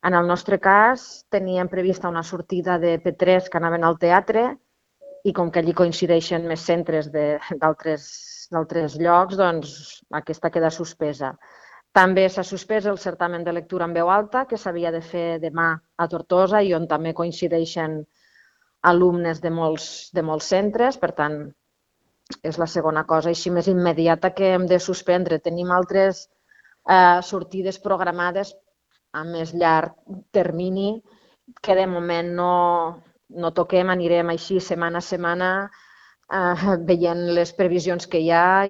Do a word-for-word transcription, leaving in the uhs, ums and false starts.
En el nostre cas, teníem prevista una sortida de P tres que anaven al teatre i com que allí coincideixen més centres d'altres llocs, doncs aquesta queda suspesa. També s'ha suspès el certamen de lectura en veu alta, que s'havia de fer demà a Tortosa i on també coincideixen alumnes de molts, de molts centres, per tant, és la segona cosa així més immediata que hem de suspendre. Tenim altres eh, sortides programades a més llarg termini que de moment no, no toquem, anirem així setmana a setmana eh, veient les previsions que hi ha